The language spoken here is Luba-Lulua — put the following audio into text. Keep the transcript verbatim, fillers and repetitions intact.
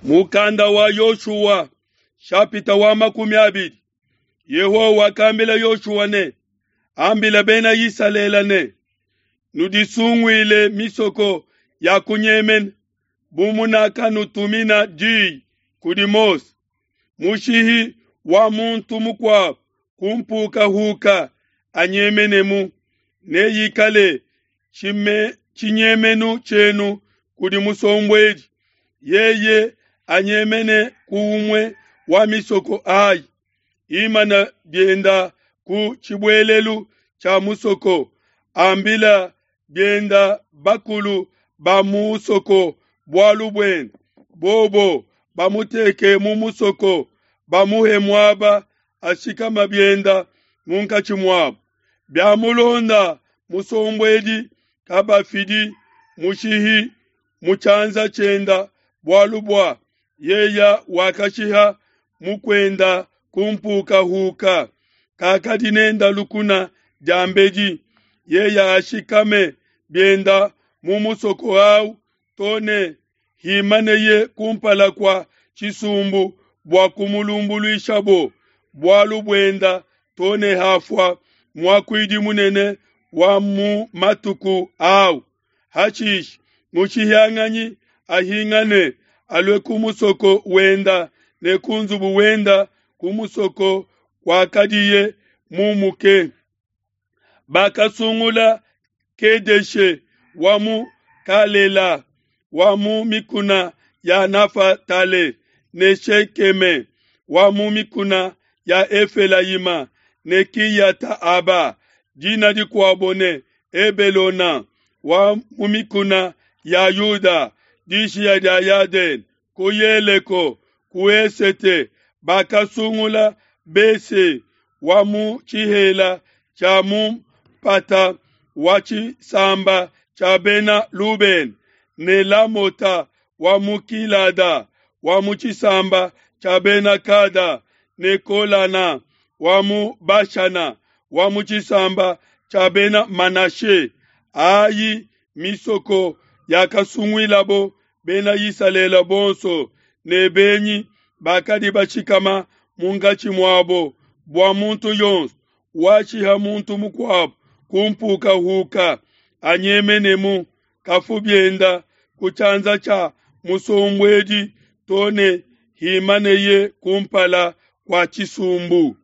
Mukanda wa Yoshua shapita wa makumi abidi. Yehowa wakambila Yoshua ne, ambila bena Isalele ne, nudisunguile misoko ya kunyemena bu munakanutumina diyi kudi Mose. Mushihi wa muntu mukuabo kumpukahuka anyemenemu, neyikale tshinyemenu tshienu kudi musombuedi. Yeye anyemene ku umue wa misoko ayi, imana bienda ku tshibuelelu tshia musoko, ambila bienda bakulu ba mu musoko bualu buende, bobo bamuteke mu musoko, bamuhe muaba ashikama bienda munkatshi muabo. Biamulonda musombuedi kabafidi mushihi mu tshianza tshienda, bualu bua yeya wakashiha mukuenda kumpukahuka, kakadi nenda lukuna diambedi. Yeya ashikame bienda mu musoko awu to ne himaneye kumpala kua tshisumbu bua kumulumbuluishabo bualu buenda to ne hafua muakuidi munene wa mu matuku awu. Hashishe mushihianganyi ahingane alue ku musoko wenda ne ku nzubu wenda ku musoko kwakadiye mumuke. Bakasungula Kedeshe wa mu Galela wa mu mikuna ya Nafatale ne Shekeme wa mu mikuna ya Efelayima ne Kiyata-aba, dina dikuabo ne Hebelona, wa mu mikuna ya Yuda, dishiya dia Yadene, ku Yeleko, ku esete. Bakasungula Bese wa mu tshihela tshia mu mpata wa tshisamba tshia bena Lubena, ne Lamota wa mu Gilada wa mu tshisamba tshia bena Gada, ne Golana wa mu Bashana wa mu tshisamba tshia bena Manashe. Ayi misoko yakasunguilabo bena Isalele bonso ne benyi bakadi bashikama munkatshi muabo, bua muntu yonso washiha muntu mukuabo kumpukahuka anyemenemu, kafu bienda ku tshianza tshia musombuedi to ne himaneye kumpala kua tshisumbu.